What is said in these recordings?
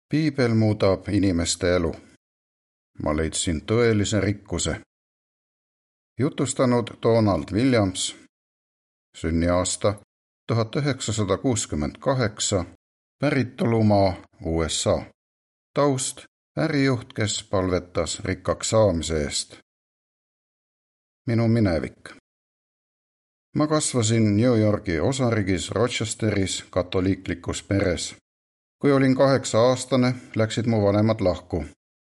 Piibel muudab inimeste elu. Ma leidsin tõelise rikkuse. Jutustanud Donald Williams, sünniaasta 1968, päritolumaa USA. Taust ärijuht, kes palvetas rikkaks saamise eest. Minu minevik. Ma kasvasin New Yorgi osariigis Rochesteris katoliiklikus peres. Kui olin 8-aastane, läksid mu vanemad lahku.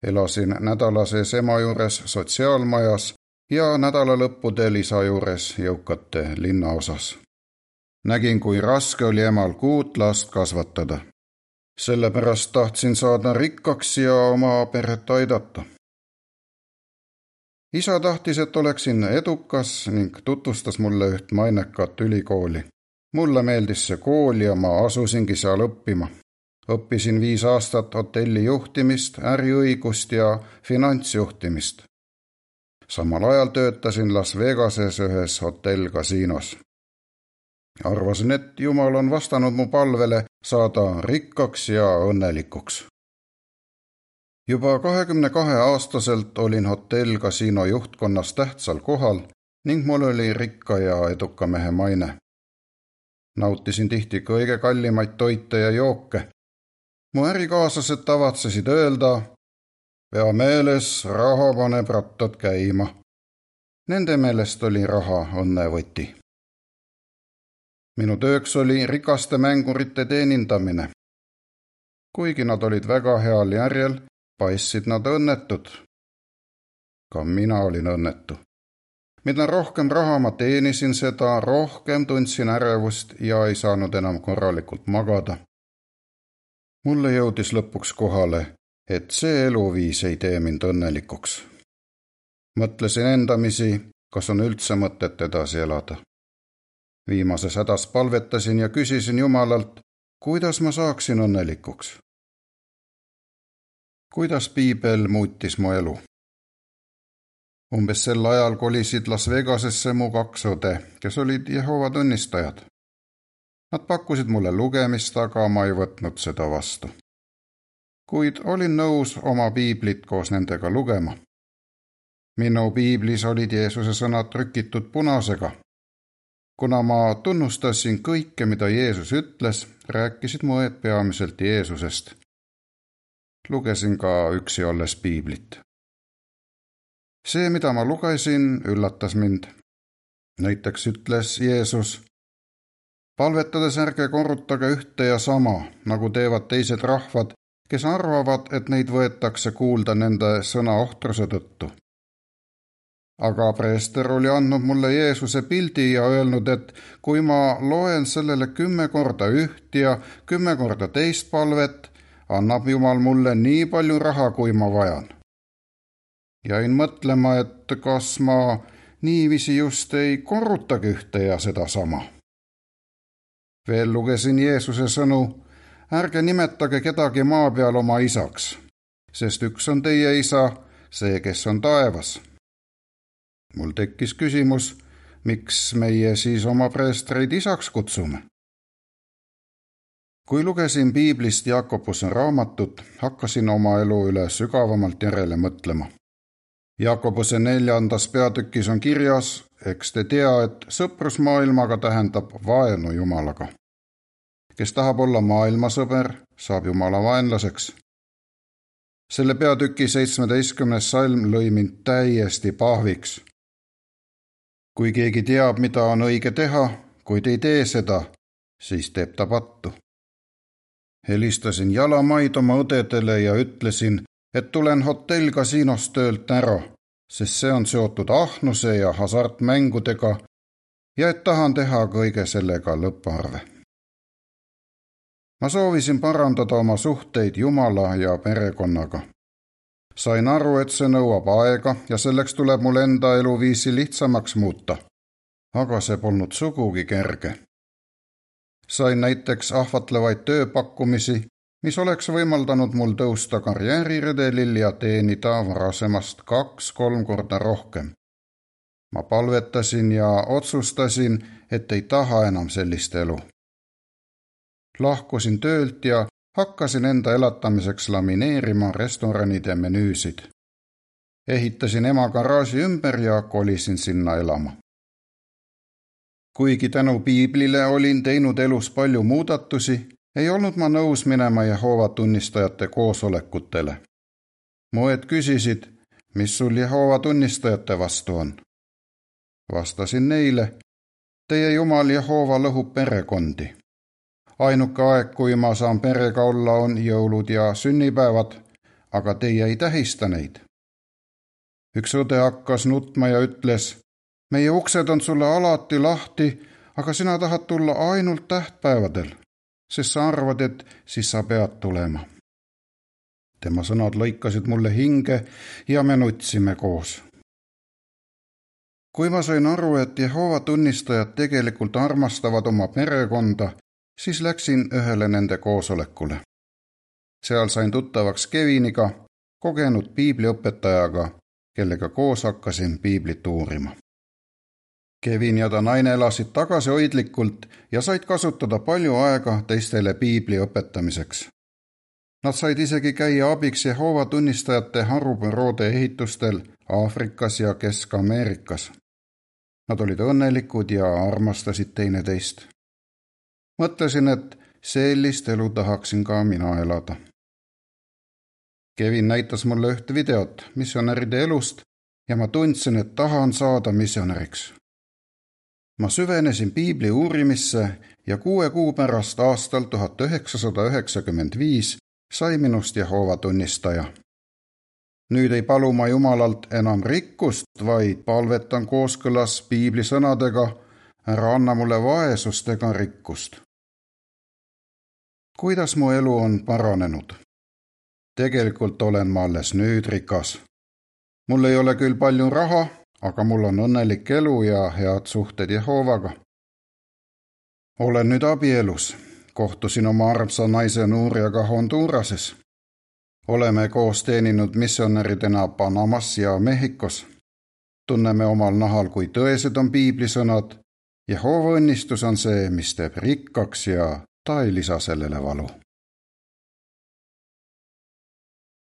Elasin nädala sees ema juures sotsiaalmajas ja nädalalõppudel isa juures jõukate linnaosas. Nägin, kui raske oli emal 6 last kasvatada. Sellepärast tahtsin saada rikkaks ja oma peret aidata. Isa tahtis, et oleksin edukas ning tutvustas mulle üht mainekat ülikooli. Mulle meeldis see kool ja ma asusingi seal õppima. Õppisin 5 aastat hotelli juhtimist, äriõigust ja finantsjuhtimist. Samal ajal töötasin Las Vegases ühes hotell-kasiinos. Arvasin, et Jumal on vastanud mu palvele saada rikkaks ja õnnelikuks. Juba 22-aastaselt olin hotell-kasiino juhtkonnas tähtsal kohal ning mul oli rikka ja eduka mehe maine. Nautisin tihti kõige kallimaid toite ja jooke. Mu ärikaaslased tavatsesid öelda, pea meeles, raha paneb rattad käima. Nende meelest oli raha õnnevõti. Minu tööks oli rikaste mängurite teenindamine. Kuigi nad olid väga heal järjel, paistsid nad õnnetud. Ka mina olin õnnetu. Mida rohkem raha ma teenisin, seda rohkem tundsin ärevust ja ei saanud enam korralikult magada. Mulle jõudis lõpuks kohale, et see eluviis ei tee mind õnnelikuks. Mõtlesin endamisi, kas on üldse mõtet edasi elada. Viimases hädas palvetasin ja küsisin Jumalalt, kuidas ma saaksin õnnelikuks. Kuidas Piibel muutis mu elu? Umbes sel ajal kolisid Las Vegasesse mu 2 õde, kes olid Jehova tunnistajad. Nad pakkusid mulle lugemist, aga ma ei võtnud seda vastu. Kuid olin nõus oma piiblit koos nendega lugema. Minu piiblis olid Jeesuse sõnad trükitud punasega. Kuna ma tunnustasin kõike, mida Jeesus ütles, rääkisid mu õed peamiselt Jeesusest. Lugesin ka üksi olles piiblit. See, mida ma lugesin, üllatas mind. Näiteks ütles Jeesus, palvetades ärge korrutage ühte ja sama, nagu teevad teised rahvad, kes arvavad, et neid võetakse kuulda nende sõna ohtruse tõttu. Aga preester oli andnud mulle Jeesuse pildi ja öelnud, et kui ma loen sellele 10 korda üht ja 10 korda teist palvet, annab Jumal mulle nii palju raha, kui ma vajan. Jäin mõtlema, et kas ma niiviisi just ei korrutagi ühte ja seda sama. Veel lugesin Jeesuse sõnu, ärge nimetage kedagi maa peal oma isaks, sest üks on teie isa, see, kes on taevas. Mul tekkis küsimus, miks meie siis oma preestreid isaks kutsume? Kui lugesin piiblist Jakobuse raamatut, hakkasin oma elu üle sügavamalt järele mõtlema. Jakobuse 4. peatükis on kirjas, eks te tea, et sõprus maailmaga tähendab vaenu Jumalaga. Kes tahab olla maailmasõber, saab Jumala vaenlaseks. Selle peatüki 17. salm lõi mind täiesti pahviks. Kui keegi teab, mida on õige teha, kuid ei tee seda, siis teeb ta pattu. Helistasin jalamaid oma õdedele ja ütlesin, et tulen hotell-kasiinost töölt ära, sest see on seotud ahnuse ja hasartmängudega ja et tahan teha kõige sellega lõpparve. Ma soovisin parandada oma suhteid Jumala ja perekonnaga. Sain aru, et see nõuab aega ja selleks tuleb mul enda eluviisi lihtsamaks muuta, aga see polnud sugugi kerge. Sain näiteks ahvatlevaid tööpakkumisi, mis oleks võimaldanud mul tõusta karjääriredelil ja teenida varasemast 2-3 korda rohkem. Ma palvetasin ja otsustasin, et ei taha enam sellist elu. Lahkusin töölt ja Hakkasin enda elatamiseks lamineerima restoranide menüüsid. Ehitasin ema garaaži ümber ja kolisin sinna elama. Kuigi tänu piiblile olin teinud elus palju muudatusi, ei olnud ma nõus minema Jehoova tunnistajate koosolekutele. Mu õed küsisid, mis sul Jehoova tunnistajate vastu on. Vastasin neile, teie Jumal Jehoova lõhub perekondi. Ainuke aeg, kui ma saan perega olla, on jõulud ja sünnipäevad, aga teie ei tähista neid. Üks õde hakkas nutma ja ütles, meie uksed on sulle alati lahti, aga sina tahad tulla ainult tähtpäevadel, sest sa arvad, et siis sa pead tulema. Tema sõnad lõikasid mulle hinge ja me nutsime koos. Kui ma sain aru, et Jehoova tunnistajad tegelikult armastavad oma perekonda, siis läksin ühele nende koosolekule. Seal sain tuttavaks Keviniga, kogenud piibliõpetajaga, kellega koos hakkasin piiblit uurima. Kevin ja ta naine elasid tagasihoidlikult ja said kasutada palju aega teistele piibli õpetamiseks. Nad said isegi käia abiks Jehoova tunnistajate harubüroode ehitustel Aafrikas ja Kesk-Ameerikas. Nad olid õnnelikud ja armastasid teineteist. Mõtlesin, et sellist elu tahaksin ka mina elada. Kevin näitas mulle üht videot missionäride elust ja ma tundsin, et tahan saada missionäriks. Ma süvenesin piibli uurimisse ja 6 kuu pärast aastal 1995 sai minust Jehoova tunnistaja. Nüüd ei palu ma Jumalalt enam rikkust, vaid palvetan kooskõlas piibli sõnadega, ära anna mulle vaesust ega rikkust. Kuidas mu elu on paranenud? Tegelikult olen ma alles nüüd rikas. Mul ei ole küll palju raha, aga mul on õnnelik elu ja head suhted Jehoovaga. Olen nüüd abielus. Kohtusin oma armsa naise Nuuriaga Hondurases. Oleme koos teeninud missionäridena Panamas ja Mehhikos. Tunneme omal nahal, kui tõesed on piiblisõnad. Jehoova õnnistus on see, mis teeb rikkaks ja ta ei lisa sellele valu.